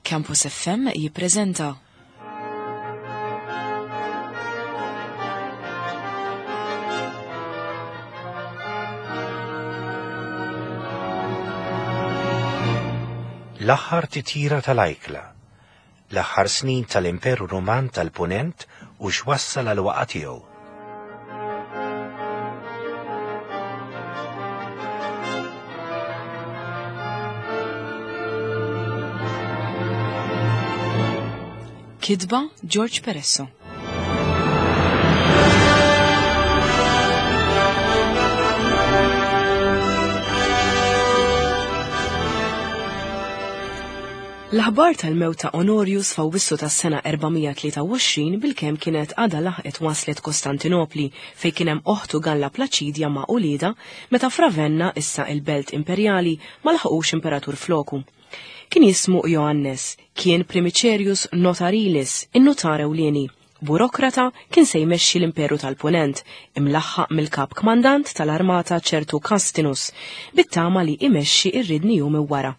Campus FM jippreżenta. L-aħħar titjira tal-ajkla, l-aħħar snin tal-Imperu Ruman tal-Punent u x'wassal għal waqa' tiegħu. Kitba George Peresso. L-aħbar tal-mewt ta' Onorius f'Awwissu tas-sena 423 bilkemm kienet għadha laħqet waslet Kostantinopli fejn kien hemm oħtu Galla Plaċidja ma' uliedha meta f'Ravenna, issa il-belt imperjali, ma laħqux imperatur floku. Kien jismu Joannes, kien primicerius notarilis, in-nutar ewlieni, burokrata kien se jmexxi l-Imperu tal-Punent, imlaħħaq mill-kap kmandant tal-armata ċertu Castinus, bit-tama li imexxi ir-ridni jum wara.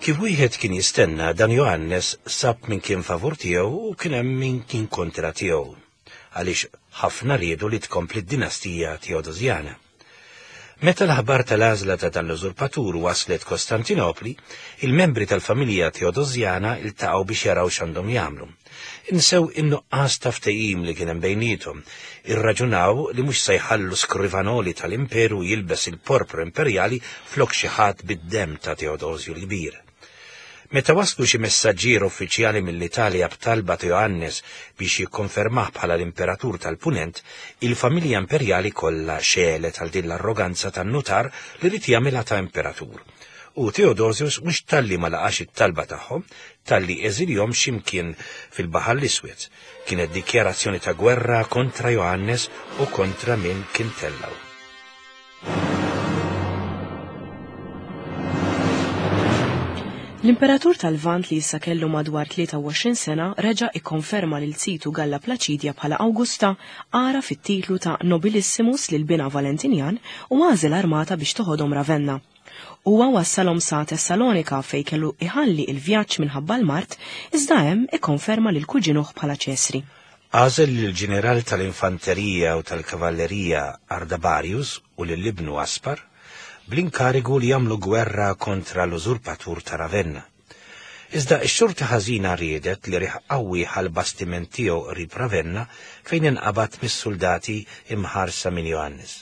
Kif wieħed kien jistenna dan Johannes sab min kien favur tiegħu u kien hemm min kien kontra tiegħu għaliex ħafna riedu li tkompli d-dinastija Teodosjana. Meta l-aħbar tal-għażla ta' dan l-użurpatur waslet Kostantinopli, il-membri tal-familja Teodosjana iltaqgħu biex jaraw x'għandhom jagħmlu. Insew in-nuqqas ta' ftehim li kien hemm bejniethom, irraġunaw li mhux se jħallu skrivanoli tal-imperu jilbes il-porpra imperjali flok xi ħadd bid-demm ta' Teodosju l-Kbir. Meta waslu xi messaġġier uffiċjali mill-Italja b'talba ta' Johannes biex jikkonfermah bħala l-imperatur tal-Punent, il-familja imperjali kollha xegħlet għal din l-arroganza tan-nutar li ried jagħmilha ta' imperatur. U Theodosius mhux talli ma laqax it-talba tagħhom, talli eżiljhom xi mkien fil-Baħar l-Iswed. Kienet dikjarazzjoni ta' gwerra kontra Johannes u kontra min kien tellgħu. L-Imperatur tal-Lvant li issa kellu madwar 23 sena reġa' ikkonferma lil zitu Galla Plaċidja bħala Awgusta, għaraf it-titlu ta' Nobilissimus lil binha Valentinjan u għażel armata biex toħodhom Ravenna. Huwa wassalhom sa Tessalonika fejn kellu iħalli il-vjaġġ minħabba l-mard, iżda hemm ikkonferma lil kuġinuh bħala Ċesri. Għażel lill-ġineral tal-infanterija u tal-kavallerija Ardabarius u lil ibnu Aspar bl-inkarigu li jagħmlu gwerra kontra l-użurpatur ta' Ravenna. Iżda x-xorti ħażina riedet li riħ qawwi ħa l-bastiment tiegħu qrib Ravenna fejn inqabad mis-suldati imħarsa minn Johannes.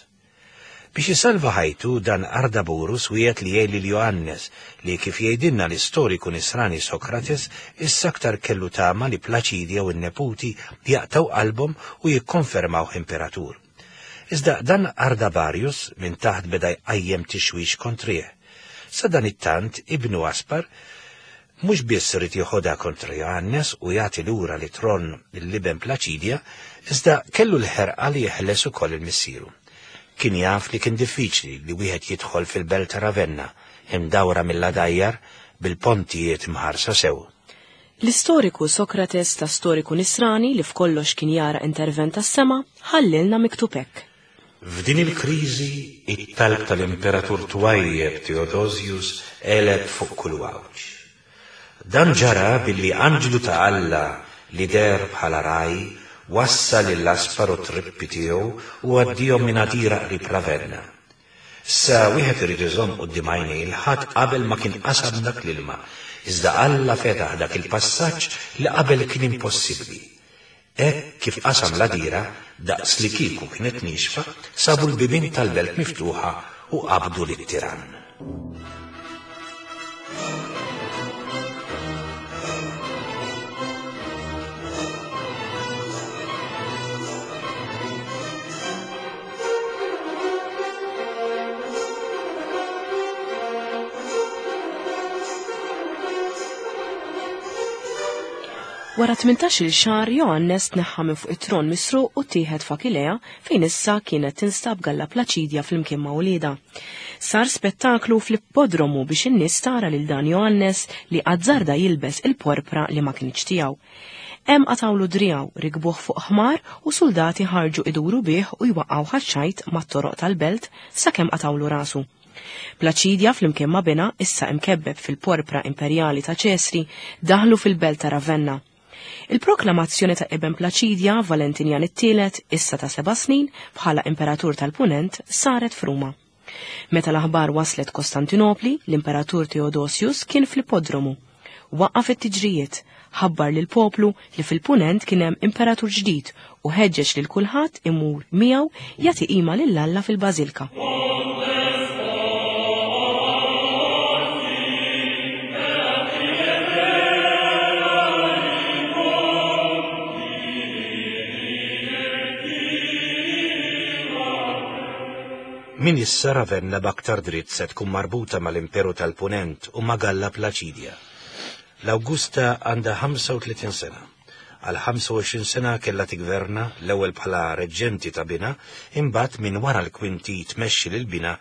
Biex isalva ħajtu, dan Ardaburus wiegħed li jgħin lil Johannes, li kif jgħidilna l-istoriku Nisrani Sokrates, issa aktar kellu tama li Plaċidja u n-neputi jaqtgħu qalbhom u jikkonfermawh imperatur. Iżda dan Ardabarius minn taħt beda jqajjem tixwix kontrih. Sadanittant, ibnu Aspar Mhux biss ried jeħodha kontra Johannes u jagħti lura lit-tron lill-iben Plaċidja, iżda kellu l-ħerqa li jeħles ukoll lil missieru. Kien jaf li kien diffiċli li wieħed jidħol fil-belt ta' Ravenna, imdawra mill-għadajjar, bil-pontijiet mħarsa sew. L-istoriku Sokrates ta' storiku Nisrani li f'kollox kien jara intervent tas-sema, ħallielna miktub hekk. F'din il-kriżi, it-talb tal-Imperatur twajjeb Theodosius għeleb fuq kull għawġ. Dan ġara billi anġlu ta' Alla li deher bħala ragħaj wassal lil Aspar u t-trippi tiegħu u għaddiehom minn għadira qrib Ravenna. Issa wieħed irid iżomm quddiem għajnejh li ħadd qabel ma kien qasam dak l-ilma, iżda Alla fetaħ dak il-passaġġ li qabel kien impossibbli. Hekk kif qasam l-għadira, daqslikieku kienet niexfa, sabu l-bibien tal-belt miftuħa u qabdu lit-tirann. Wara 18-il xahar Johannes tneħħa minn fuq it-tron misruq u ttieħed f'Akilea fejn issa kienet tinstab Galla Plaċidja flimkien ma' uliedha. Sar spettaklu fl-ippodromu biex in-nies tara lil dan Johannes li azzarda jilbes il-porpra li ma kinitx tiegħu. Hemm qatgħulu driegħu, rikbuh fuq ħmar u suldati ħarġu iduru bih u jwaqqgħuh għax-xajt mat-toroq tal-belt sakemm qatgħulu rasu. Plaċidja flimkien ma' binha, issa imkebbeb fil-porpra imperjali ta' Ċesri, daħlu fil-belt ta' Ravenna. Il-proklamazzjoni ta' iben Plaċidja, Valentinjan it-Tielet, issa ta' seba' snin, bħala imperatur tal-Punent, saret f'Ruma. Meta l-aħbar waslet Kostantinopli, l-Imperatur Theodosius kien fl-ippodromu. Waqqaf it-tiġrijiet, ħabbar lill-poplu li fil-Punent kien hemm imperatur ġdid u ħeġġeġ lil kulħadd imur miegħu jagħti qima lil Alla fil-bażilka. Min issa Ravenna b'aktar dritt se tkun marbuta mal-Imperu tal-Punent u ma' Galla Plaċidja. L-Awgusta għandha 35 sena. Għal 25 sena kellha tiggverna l-ewwel bħala reġġenti ta' binha, imbagħad minn wara l-kwinti tmexxi lil binha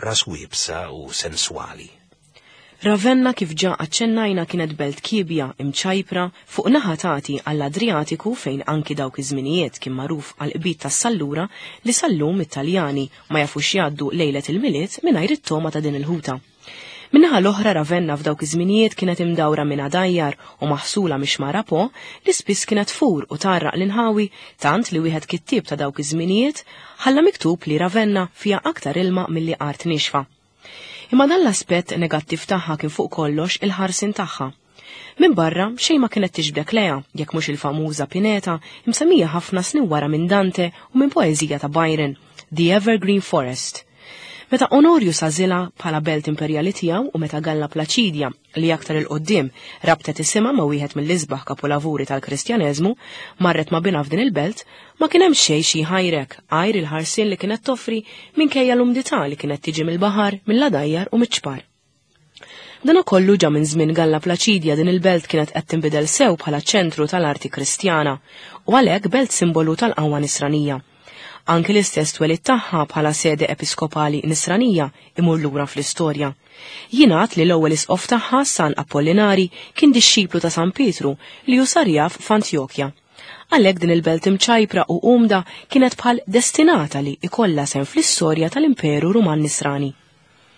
ras iebsa u senswali. Ravenna kif ġa aċċennajna kienet belt kiebja, imċajpra, fuq naħa tagħti għall-Adrijatiku fejn anki dawk iż-żminijiet kien magħruf għall-qbid tas-sallura li sal-lum it-Taljani ma jafux jgħaddu lejlet il-Milied mingħajr it-togħma ta' din il-ħuta. Min-naħa l-oħra Ravenna f'dawk iż-żminijiet kienet imdawra minn għadajjar u maħsula mix-xmara Po li spiss kienet tfur u tgħarraq l-inħawi tant li wieħed kittieb ta' dawk iż-żminijiet ħalla miktub li Ravenna fiha aktar ilma milli art niexfa. Imma dan l-aspett negattiv tagħha kien fuq kollox il-ħarsien tagħha. Minn barra, xejn ma kienet tiġbdek lejha, jekk mhux il-famuża pineta msemmija ħafna snin wara minn Dante u minn poeżija ta' Byron, The Evergreen Forest. Meta Onorius għażilha bħala belt imperjali tiegħu u meta Galla Plaċidja, li aktar 'il quddiem rabtet isimha ma' wieħed mill-isbaħ kapulavuri tal-Kristjaneżmu, marret ma' binha f'din il-belt, ma kien hemm xejn xi jħajrek għajr il-ħarsien li kienet toffri minkejja l-umdità li kienet tiġi mill-baħar, mill-għadajjar u miċ-ċpar. Dana kollu ġa minn żmien Galla Plaċidja din il-belt kienet qed tinbidel sew bħala ċentru tal-arti Kristjana u għalhekk belt simbolu tal-qawwa Nisranija. Anki l-istess twelid tagħha bħala sede episkopali Nisranija imur lura fl-istorja. Jingħad li l-ewwel isqof tagħha, San Apollinari, kien dixxiplu ta' San Pietru li hu sar jaf f'Antjokja. Għalhekk din il-belt imċajpra u umda kienet bħal destinata li ikollha sehem fl-istorja tal-Imperu Ruman Nisrani.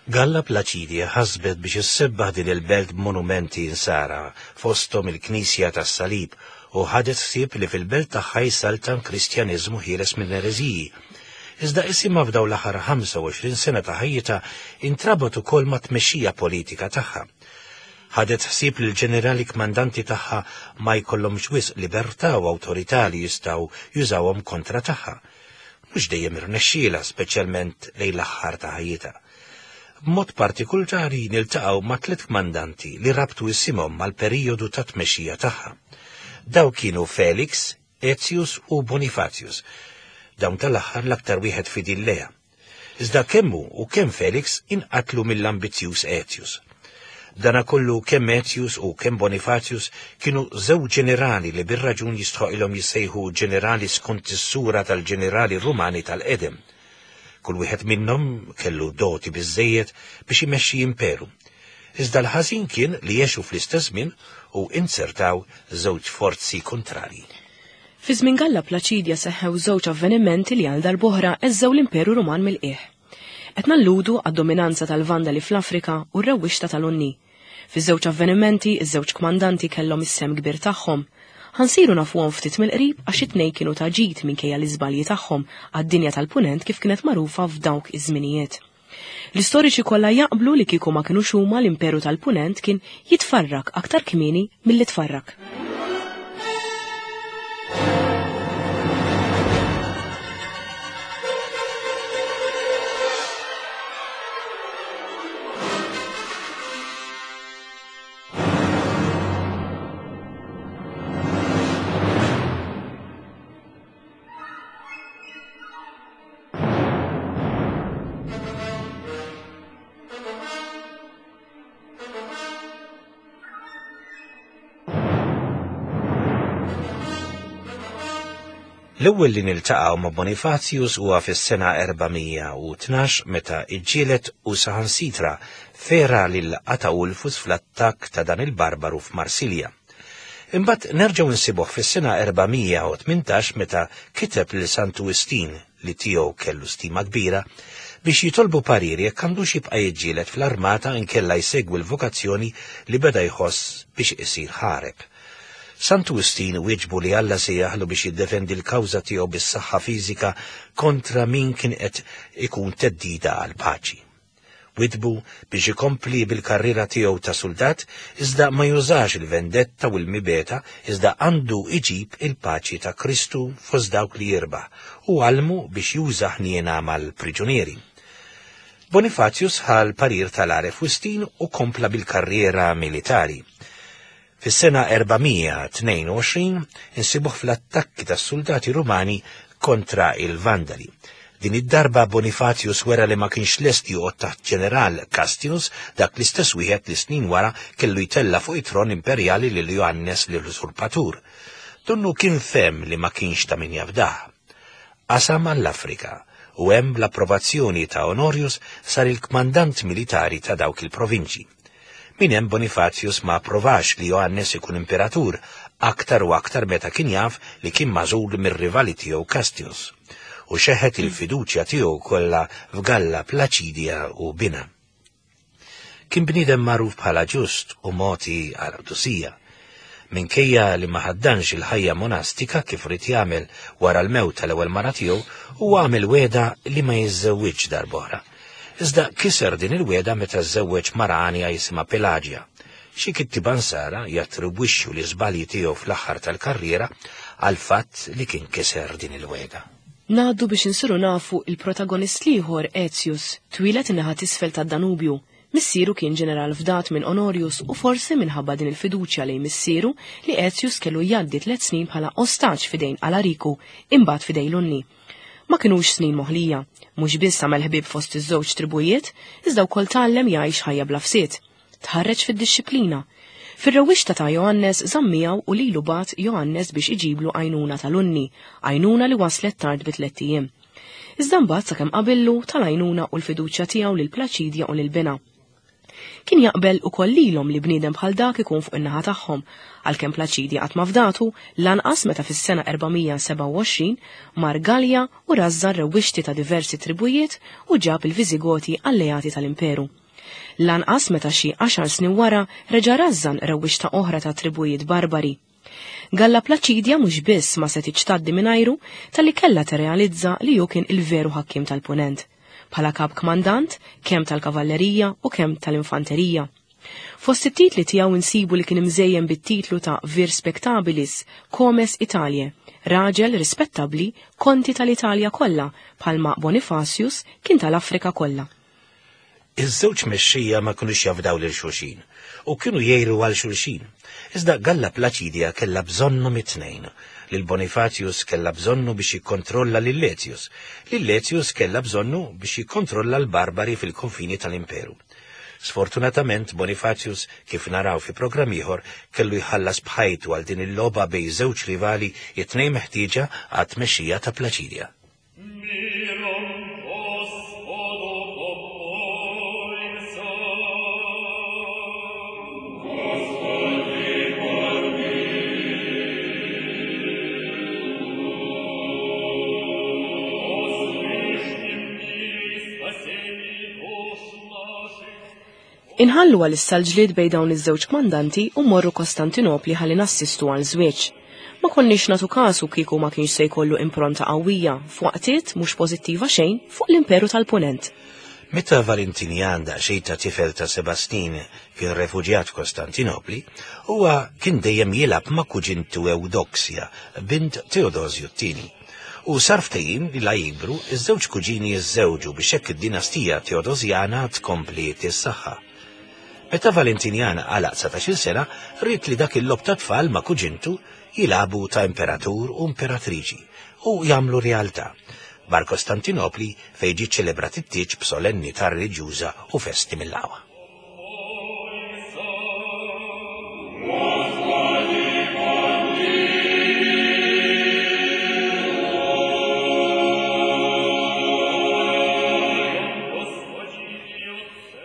Galla Plaċidja ħasbet biex issebbaħ din il-belt b'monumenti Insara, fosthom il-Knisja tas-Salib, u ħadet ħsieb li fil-belt tagħha jsaltan Kristjaneżmu ħieles minn ereżiji. Iżda isimha f'dawn l-aħħar 25 sena ta' ħajjitha intrabat ukoll mat-tmexxija politika tagħha. Ħadet ħsieb li l-ġenerali kmandanti tagħha ma jkollhomx wisq libertà u awtorità li jistgħu jużawhom kontra tagħha. Mhux dejjem irnexxielha, speċjalment lejn l-aħħar ta' ħajjitha. B'mod partikulari niltaqgħu ma' tliet kmandanti li rabtu isimhom mal-perijodu ta' tmexxija tagħha. Dawk kienu Felix, Aetius u Bonifatius. Dawn tal-aħħar l-aktar wieħed fidil lejha. Iżda kemm hu u kemm Felix inqatlu mill-ambizzjuż Aetius. Dana kollu kemm Aetius u kemm Bonifatius kienu żewġ ġenerali li bir-raġun jistħoqilhom jissejħu ġenerali skont is-sura tal-ġenerali Rumani tal-qedem. Kull wieħed minnhom kellu doti biżżejjed biex imexxi imperu. Iżda l-ħażin kien li għexu fl-istess żmien u inzertaw żewġ forzi kuntrarji. Fi żmien Galla Plaċidja seħħew żewġ avvenimenti li għal darb'oħra għeżżew l-Imperu Ruman mill-qiegħ. Qed nalludu għad-dominanza tal-Vandali fl-Afrika u r-rewwixta tal-Unni. Fiż-żewġ avvenimenti, iż-żewġ kmandanti kellhom is-sehem kbir tagħhom. Ħa nsiru nafuhom ftit mill-qrib għax it-tnejn kienu ta' ġid minkejja l-iżbalji tagħhom għad-dinja tal-Punent kif kienet magħrufa f'dawk iż-żminijiet. L-istoriċi kollha jaqblu li kieku ma kinux huma l-Imperu tal-Punent kien jitfarrak aktar kmieni milli tfarrak. L-ewwel li niltaqgħu ma' Bonifatius huwa fis-sena 412 meta iġġieled u saħansitra fera lil Ataulfus fl-attakk ta' dan il-barbaru f'Marsilja. Imbagħad nerġgħu nsibuh fis-sena 418 meta kiteb lil Santu Wistin li tiegħu kellu stima kbira biex jitolbu parir jekk għandux jibqa' jiġġieled fl-armata inkella jsegwi l-vokazzjoni li beda jħoss biex isir ħareb. Santu Wistin wieġbu li Alla sejjaħlu biex jiddefendi l-kawża tiegħu bis-saħħa fiżika kontra min kien qed ikun theddida għall-paċi. Witbu biex ikompli bil-karriera tiegħu ta' suldat iżda ma jużax il-vendetta u l-mibegħda iżda għandu iġib il-paċi ta' Kristu fost dawk li jirbaħ u għallmu biex juża ħniena mal-priġunieri. Bonifatius ħa l-parir tal-għaref Wistin u kompla bil-karriera militari. Fis-sena 422 insibuh fl-attakki tas-suldati Rumani kontra il-Vandali. Din id-darba Bonifatius wera li ma kienx lest joqgħod taħt ġeneral Castius, dak l-istess wieħed li snin wara kellu jtella' fuq it-tron imperjali lil Joannes l-usurpatur. Donnu kien fehem li ma kienx ta' min jafdah. Qasam għall-Afrika u hemm bl-approvazzjoni ta' Honorius sar il-kmandant militari ta' dawk il-provinċji. Minn hemm Bonifatius ma approvax li Joannes ikun imperatur, aktar u aktar meta kien jaf li kien magħżul mir-rivali tiegħu Castius, u xeħet il-fiduċja tiegħu kollha f'Galla Placidia u binha. Kien bniedem magħruf bħala ġust u mogħti għall-qdusija. Minkejja li ma ħaddanx il-ħajja monastika kif ried jagħmel wara l-mewt tal-ewwel mara tiegħu, huwa għamel wegħda li ma jiżżewwiġx darb'oħra. Iżda kiser din il-wegħda meta żżewweġ mara għanja jisimha Pelagia. Xi kittieba Nsara jattribwixxu l-iżbalji tiegħu fl-aħħar tal-karriera għall-fatt li kien kiser din il-wegħda. Ngħaddu biex insiru nafu il-protagonist l-ieħor Aetius, twieled in-naħa t'isfel tad-Danubju. Missieru kien ġeneral fdat minn Honorius u forsi minħabba din il-fiduċja lejn missieru li Aetius kellu jgħaddi tliet snin bħala ostaġġ f'idejn Alariku, imbagħad f'idejn Lunni. Ma kinux snin moħlija. Mhux biss għamel ħbieb fost iż-żewġ tribujiet, iżda wkoll tgħallem jgħix ħajja bla fsied. Tħarreġ fid-dixxiplina. Fir-rewwixta ta' Joannes żamm miegħu u lilu bagħat Joannes biex iġiblu għajnuna tal-Unni, għajnuna li waslet tard bi tlett ijiem. Iżda mbagħad sakemm qabillu tal-għajnuna u l-fiduċja tiegħu lil Plaċidja u lil binha. Kien jaqbel ukoll lilhom li bniedem bħal dak ikun fuq in-naħa tagħhom, għalkemm Plaċidja qatt ma fdatu, lanqas meta fis-sena 427 mar Galja u rażżan rewwixti ta' diversi tribujiet u ġab il-Viżigoti alleati tal-Imperu. Lanqas meta xi għaxar snin wara reġa' rażżan rewwixta oħra ta' tribujiet barbari. Galla Plaċidja mhux biss ma setgħitx tgħaddi mingħajru, talli kellha tirrealizza li hu kien il-veru ħakkiem tal-Punent, bħala kap kmandant kemm tal-kavallerija u kemm tal-infanterija. Fost it-titli tiegħu nsibu li kien imżejjen bit-titlu ta' Vir Spectabilis, Comes Italiae, raġel rispettabbli, konti tal-Italja kollha, bħalma Bonifacius kien tal-Afrika kollha. Iż-żewġ mexxejja ma kinux jafdaw lil xulxin u kienu jgħiru għal xulxin. Iżda Galla Plaċidja kellha bżonnhom it-tnejn. Lil Bonifatius kellha bżonnu biex jikkontrolla lil Letius. Lil Letius kellha bżonnu biex jikkontrolla l-Barbari fil-konfini tal-Imperu. Sfortunatament Bonifatius, kif naraw fi programm ieħor, kellu jħallas b'ħajtu għal din il-logħba bejn żewġ rivali it-tnejn meħtieġa għat-tmexxija ta' Plaċidja. Inħallu għalissa l-ġlied bejn dawn iż-żewġ kmandanti u mmorru Kostantinopli ħalli nassistu għal żwieġ. Ma konniex nagħtu kasu kieku ma kienx se jkollu impronta qawwija, f'waqtiet mhux pożittiva xejn, fuq l-Imperu tal-Punent. Meta Valentinian daqsxejn ta' tifel ta' seba' snin kien refuġjat f'Kostantinopli, huwa kien dejjem jilgħab ma' kuġintu Ewdoksja, bint Teodosju t-Tieni. U sar ftehim li la jikbru, iż-żewġ kuġini jiżżewġu biex hekk id-dinastija Teodosjana tkompli tissaħħa. Meta Valentinian għalaq 19-il sena, ried li dak il-logħob ta' tfal ma' kuġintu jilagħbu ta' imperatur u imperatriċi u jagħmlu realtà. Mar Kostantinopli fejn ġie ċċelebrat it-tieġ b'solennità reliġjuża u festi mill-aqwa.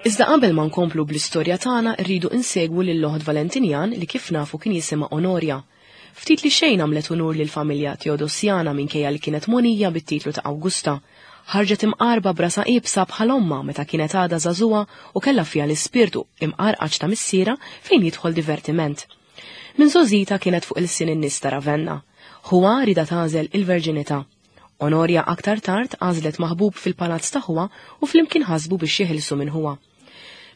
Iżda qabel ma nkomplu bl-istorja tagħna rridu insegwu lil oħt Valentinjan li kif nafu kien jisimha Onorja. Ftit li xejn għamlet unur lill-familja Teodosjana minkejja li kienet mogħnija bit-titlu ta' Awgusta. Ħarġet imqarba b'rasha iebsa bħal ommha meta kienet għadha żagħżugħa u kellha fiha l-ispirtu imqarqaċ ta' missierha fejn jidħol divertiment. Minn żgħożitha kienet fuq ilsien in-nies ta' Ravenna. Ħuha riedha tagħżel il-verġinità. Onorja aktar tard għażlet maħbub fil-palazz ta' ħuha u flimkien ħasbu biex jeħilsu minn ħuha.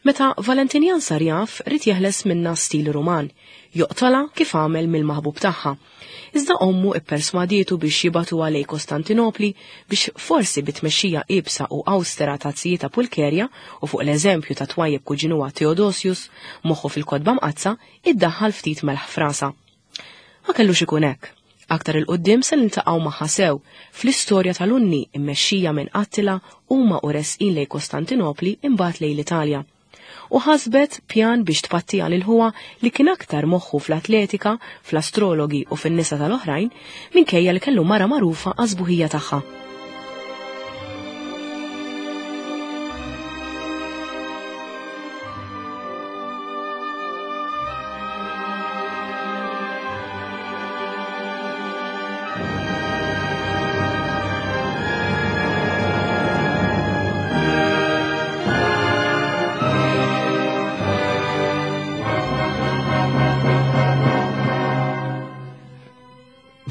Meta Valentinjan sar jaf, ried jeħles minnha stil Ruman, joqtolha kif għamel mill-maħbub tagħha. Iżda ommu ipperswadietu biex jibagħtuha lejn Kostantinopli biex forsi bi tmexxija iebsa u awstera ta' zijietha Pulkerja u fuq l-eżempju ta' twajjeb kuġinuha Theodosius, moħħu fil-Kotba Mqaddsa, iddaħħal ftit melħ f'rasha. Ma kellux ikun hekk. Aktar 'il quddiem se niltaqgħu magħha sew, fl-istorja tal-Unni mmexxija minn Attila huma u resqin lejn Kostantinopli imbagħad lejn l-Italja. U ħasbet pjan biex tpattiha lil ħuha li kien aktar moħħu fl-atletika, fl-astrologi u fin-nisa tal-oħrajn, minkejja li kellu mara magħrufa għas-sbuħija tagħha.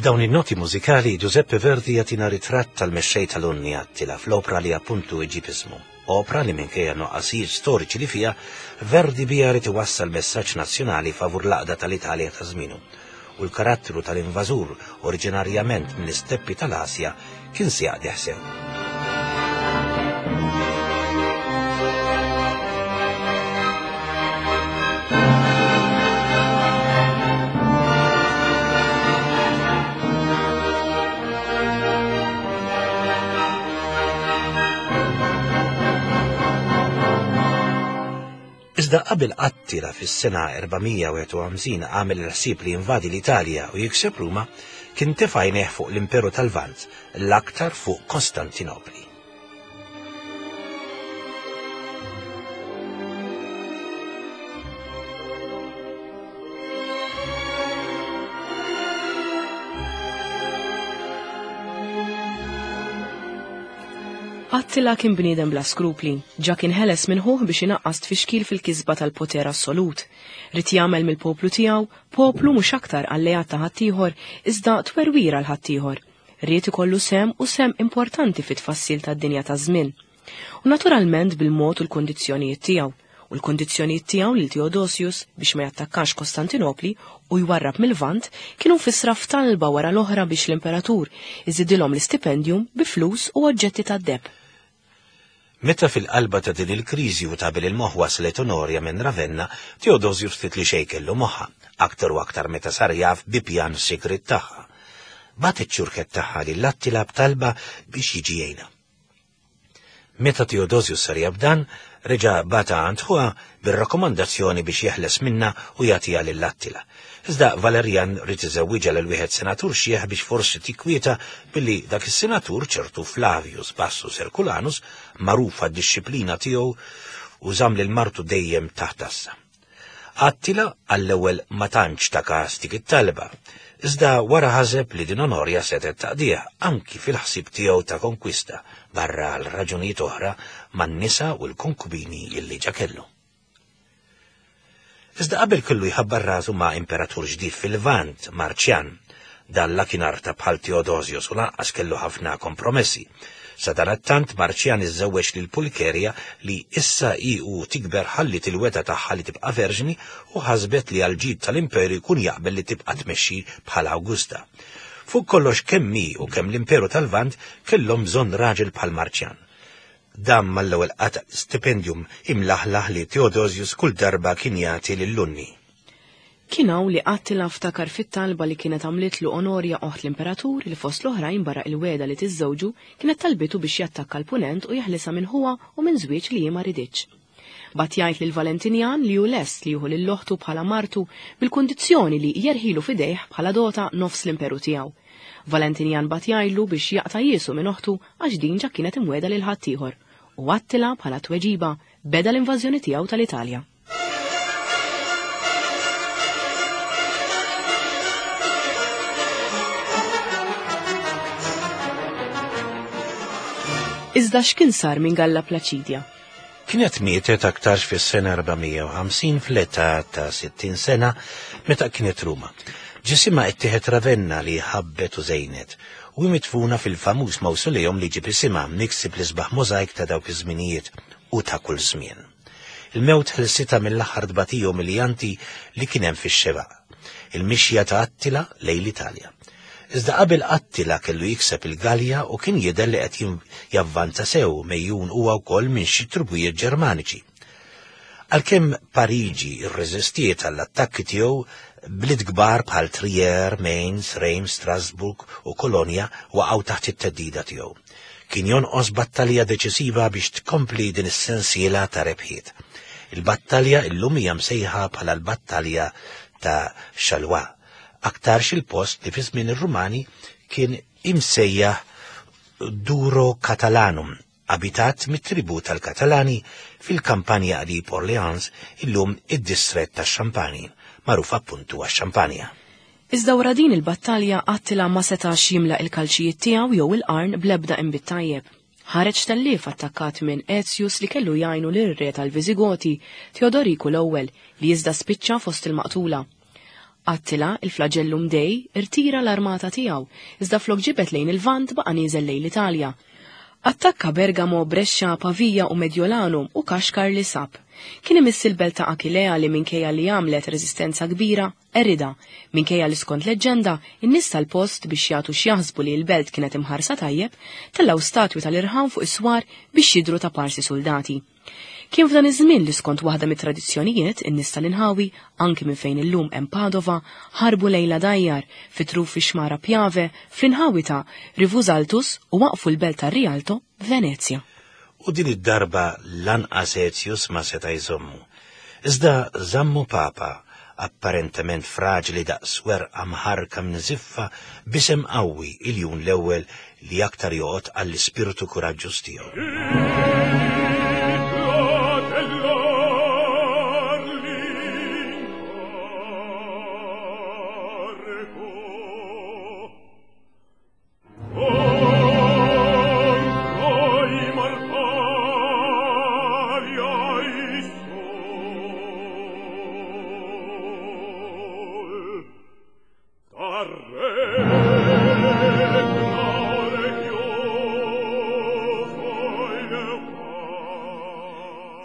B'dawn in-noti mużikali Giuseppe Verdi jagħtina ritratt tal-mexxej tal-Unni Attila fl-opra li appuntu iġib ismu. Opra li minkejja nuqqasijiet storiċi li fiha, Verdi biha ried iwassal messaġġ nazzjonali favur l-għaqda tal-Italja ta' żmienu. U l-karattru tal-invażur oriġinarjament mill-isteppi tal-Asja kien se jaqdih sew. Iżda qabel Attila fis-sena 451 għamel il-ħsieb li jinvadi l-Italja u jikseb Ruma, kien tefa' għajnejh fuq l-Imperu tal-Lvant, l-aktar fuq Kostantinopli. Attila kien bniedem bla skrupli, ġa kien ħeles minn ħuh biex inaqqas tfixkil fil-kisba tal-poter assolut. Ried jagħmel mill-poplu tiegħu poplu mhux aktar alleat ta' ħaddieħor iżda twerwir għal ħaddieħor. Ried ikollu sehem u sehem importanti fit-tfassil tad-dinja taż-żmien. U naturalment bil-mod u l-kundizzjonijiet tiegħu. U l-kundizzjonijiet tiegħu lil Theodosius biex ma jattakkax Kostantinopli u jwarrab mil-Lvant kienu mfissra f'talba wara l-oħra biex l-imperatur iżidilhom l-istipendium bi flus u oġġetti tad-deheb. Meta fil-qalba ta' din il-kriżi u ta' bil il-moħħ waslet Onorja minn Ravenna, Teodosius ftit li xejn kellu moħħha, aktar u aktar meta sar jaf bi pjan sigriet tagħha. Bagħat iċ-ċurkett tagħha lil Attila b'talba biex jiġi jgħinha. Meta Teodosius sar jaf dan, reġa' bagħatha għand ħuha bir-rakkomandazzjoni biex jeħles minnha u jagħtiha lil Attila. Iżda Valerjan ried iżewwiġha lil wieħed senatur xiħ biex forsi tikkwieta billi dak is-senatur, ċertu Flavius Bassus Herculanus, magħruf għad-dixxiplina tiegħu u żamm lil martu dejjem taħt għassa. Attila għall-ewwel ma tantx ta kas dik it-talba, iżda wara ħaseb li din Onorja setgħet taqdih anki fil-ħsieb tiegħu ta' konkwista barra għal raġunijiet oħra man-nisa u l-konkubini illi ġa kellu. Iżda qabel kellu jħabbar rasu ma' imperatur ġdid fil-Lvant, Marċjan. Dan la kien arta bħal Teodosius u lanqas kellu ħafna kompromessi. Sadanattant Marċjan iżżewweġ lil Pulkerja li issa hi u tikber ħalliet il-wegħda tagħha li tibqa' verġni u ħasbet li għall-ġid tal-imperu jkun jaqbel li tibqa' tmexxi bħala Awgusta. Fuq kollox kemm hi u kemm l-imperu tal-Lvant kellhom bżonn raġel bħal Marċjan. Dan mal-ewwel qata' l-istipendium imlaħlaħ li Theodosius kull darba kien jagħti lil Unni. Kien hawn li Attila ftakar fit-talba li kienet għamlitlu Onorja oħt l-imperatur li fost l-oħrajn barra il-wegħda li tiżżewġu kienet talbitu biex jattakka l-Punent u jeħlisha minn ħuha u minn żwieġ li hi ma riditx. Bagħat jgħid lil Valentinjan li hu lest li jieħu lil oħtu bħala martu bil-kundizzjoni li jerħilu f'idejh bħala dota nofs l-imperu tiegħu. Valentinjan bagħat jgħidlu biex jaqta' jiesu minn oħtu għax din ġa kienet imwiegħda lil ħaddieħor, u Attila bħala tweġiba beda l-invażjoni tiegħu tal-Italja. Iżda x'kien sar minn Galla Plaċidja? Kienet mietet aktarx fis-sena 450 fl-età ta' 60 sena meta kienet Ruma. Ġisimha ittieħed Ravenna li ħabbet u żejnet u hi midfuna fil-famuż mawsoleum li ġib isimha miksi bl-isbaħ możajk ta' dawk iż-żminijiet u ta' kull żmien. Il-mewt ħelsitha mill-aħħar tbatija umiljanti li kien hemm fix-xebgħa. Il-mixja ta' Attila lejn l-Italja. Iżda qabel Attila kellu jikseb il-Galja u kien jidher li qed javvanza sew mejjun huwa wkoll minn xi trubijiet Ġermaniċi. Għalkemm Pariġi rreżistiet għall-attakki tiegħu, bliet kbar bħal Trier, Mainz, Reims, Strasbourg u Kolonja waqgħu taħt it-theddida tiegħu. Kien jonqos battalja deċisiva biex tkompli din is-sensiela ta' rebħiet. Il-battalja illum hija msejħa bħala l-battalja ta' Chalois, aktarx il-post li fi żmien ir-Rumani kien imsejjaħ Duro Catalanum, abitat mit-tribù tal-Katalani fil-kampanja qrib Orleans, illum id-distrett tax-Champagne, magħruf appuntu għax-xampanja. Iżda wara din il-battalja Attila ma setax jimla il-kalċijiet tiegħu jew il-qarn bl-ebda inbid tajjeb. Ħareġ tellief attakkat minn Aetius li kellu jgħinu lir-re tal-Viżigoti, Teodoriku l-ewwel, li iżda spiċċa fost il-maqtula. Attila, il-flagellum Dei, irtira l-armata tiegħu, iżda flok ġibed lejn il-Lvant baqa' nieżel lejn l-Italja. Attakka Bergamo, Brescia, Pavia u Mediolanum u kaxkar li sab. Kien imiss il-belt ta' Achillea li minkejja li għamlet reżistenza kbira, qeridha, minkejja li skont leġġenda, in-nies tal-post biex jagħtu x'jaħsbu li l-belt kienet imħarsa tajjeb, tellgħu statwi tal-irħam fuq is-swar biex jidhru ta' parsi suldati. Kien f'dan iż-żmien li skont waħda mit-tradizzjonijiet, in-nies tal-inħawi, anki minn fejn illum hemm Padova, ħarbu lejn l-għadajjar, fi truf ix-xmara Piave, fl-inħawi ta' Rivusaltus u waqqfu l-belt ta' Rialto, Venezja. U din id-darba lanqas Aetius ma seta' jżommu. Iżda żammu Papa, apparentement fraġli daqs werqa mħarrka minn żiffa, b'isem qawwi, Iljun l-Ewwel li aktar joqgħod għall-ispirtu kuraġġuż tiegħu.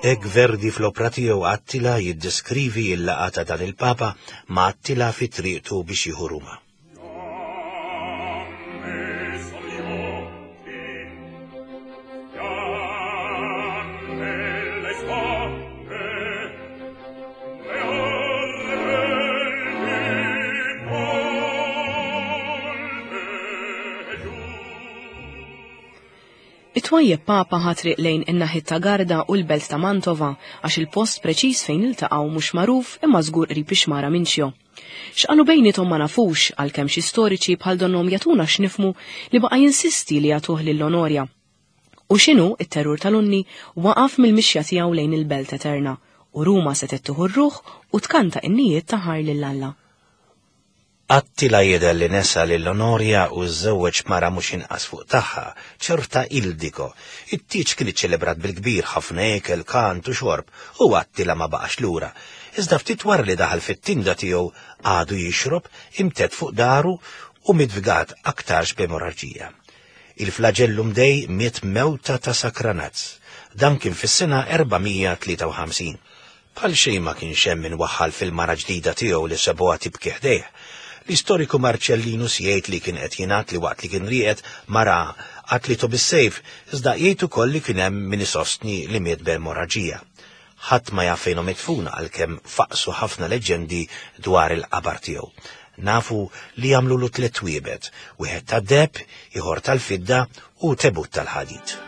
Hekk Verdi fl-opra tiegħu Attila jiddeskrivi l-laqgħa ta' dan il-Papa ma' Attila fi triqtu biex jieħu Ruma. It-twajjeb Papa ħa triq lejn in-naħiet ta' Garda u l-belt ta' Mantova għax il-post preċiż fejn iltaqgħu mhux magħruf imma żgur qrib ix-xmara Mincio. X'qalu bejniethom ma nafux għalkemm xi storiċi bħal donnhom jagħtuna x'nifhmu li baqa' jinsisti li jagħtuh lil Onorja. U x'inhu, it-terrur tal-Unni waqaf mill-mixja tiegħu lejn il-belt eterna u Ruma setgħet tieħu r-ruħ u tkanta innijiet ta' ħajr lil Alla. Attila jidher li nesa lil Onorja u żżewweġ mara mhux inqas fuq tagħha, ċerta Ildiko. It-tieġ kien iċċelebrat bil-kbir, ħafna ikel, kant u xorb, u Attila ma baqax lura. Iżda ftit wara li daħal fit-tinda tiegħu għadu jixrob, imtedd fuq daru u miet fgat aktarx b'emorraġija. Il-flagellum Dei miet mewta ta' sakranazz. Dan kien fis-sena 453. Bħal xejn ma kienx hemm min waħħal fil-mara ġdida tiegħu li sabuha tibki ħdejh. L-istoriku Marcellinus jgħid li kien qed jingħad li waqt li kien rieqed mara qatlitu bis-sejf, iżda jgħid ukoll li kien hemm min isostni li miet b'emorraġija. Ħadd ma jaf fejn hu midfun għalkemm faqqsu ħafna leġġendi dwar il-qabar tiegħu. Nafu li għamlulu tliet twiebet, wieħed tad-deheb, ieħor tal-fidda u tebut tal-ħadid.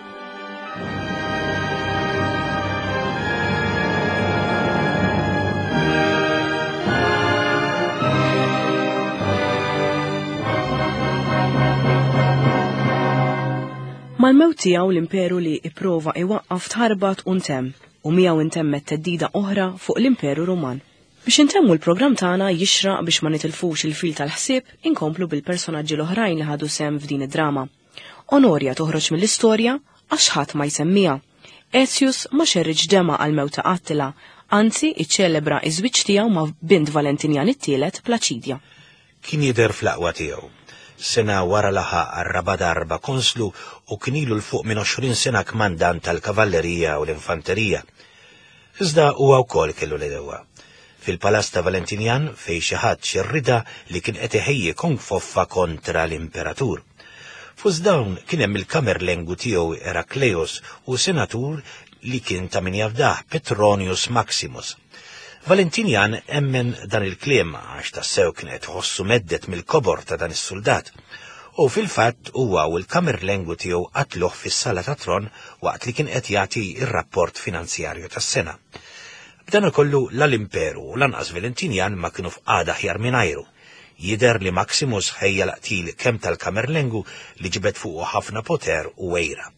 Mal-mewt tiegħu l-imperu li ipprova iwaqqaf tħarbat u ntemm. u miegħu intemmet theddida oħra fuq l-Imperu Ruman. Biex intemmu l-programm tagħna jixraq biex ma nitilfux il-fil tal-ħsieb inkomplu bil-personaġġi l-oħrajn li ħadu sehem f'din id-drama. Onorja toħroġ mill-istorja għax ħadd ma jsemmiha. Aetius ma xerridx demgħa għall-mewt ta' Attila, anzi iċċelebra iż-żwieġ tiegħu ma' bint Valentinjan it-Tielet, Plaċidja. Kien jidher fl-aqwa tiegħu. Sena wara laħaq għar-raba' darba konslu u kien ilu 'l fuq minn 20 sena kmandant tal-kavallerija u l-infanterija. Iżda huwa wkoll kellu l-għedewwa. Fil-palazz ta' Valentinjan fejn xi ħadd xerridha li kien qed iħejji konfoffa kontra l-imperatur. Fost dawn kien hemm il-kamerlengu tiegħu Erakleus u senatur li kien ta' min jafdah, Petronius Maximus. Valentinjan emmen dan il-kliem għax tassew kien qed iħossu mhedded mill-kobor ta' dan is-suldat. U fil-fatt huwa u l-kamerlengu tiegħu qatluh fis-sala tat-tron waqt li kien qed jagħti r-rapport finanzjarju tas-sena. B'dan kollu la l-Imperu u lanqas Valentinjan ma kienu f'qagħda aħjar mingħajru. Jidher li Maximus ħejja l-qtil kemm tal-kamerlengu li ġibed fuqu ħafna poter u għira.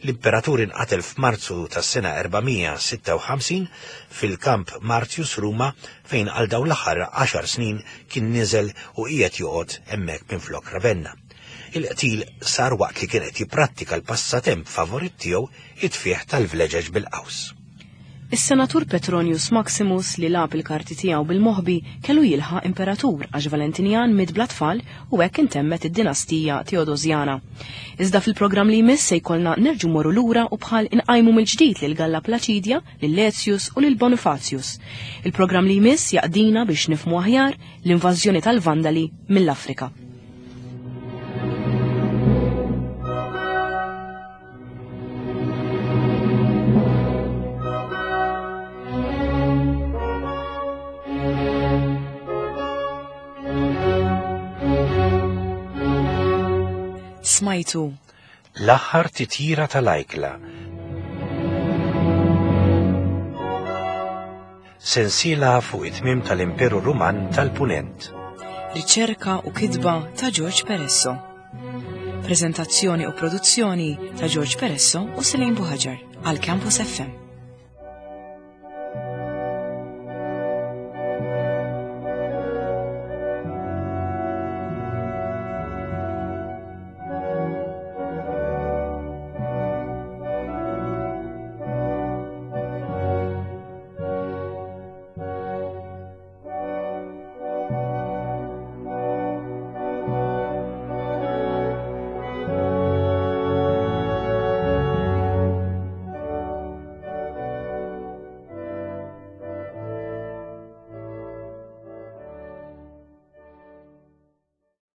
L-imperatur inqatel f'Marzu tas-sena 456 fil-Kamp Martius Ruma fejn għal dawn l-aħħar għaxar snin kien niżel u qiegħed joqgħod hemmhekk minflok Ravenna. Il-qtil sar waqt li kien qed jipprattika l-passatemp favorit tiegħu, it-tfigħ tal-vleġeġ bil-qaws. Is-Senatur Petronius Maximus li lagħab il-karti tiegħu bil-moħbi kellu jilħaq imperatur għax Valentinjan miet bla tfal u hekk intemmet id-dinastija Teodosjana. Iżda fil-programm li jmiss se jkollna nerġgħu mmorru lura u bħal inqajmu mill-ġdid lil Galla Placidia, lil Aetius u lil Bonifacius. Il-programm li jmiss jaqdina biex nifhmu aħjar l-invażjoni tal-Vandali mill-Afrika. Smajtu. L-aħħar titjira tal-ajkla. Sensiela fuq it-tmiem tal-Imperu Ruman tal-Punent. Riċerka u kitba ta' George Peresso. Prezentazzjoni u produzzjoni ta' George Peresso u Selene Buhaġar għal Campus FM.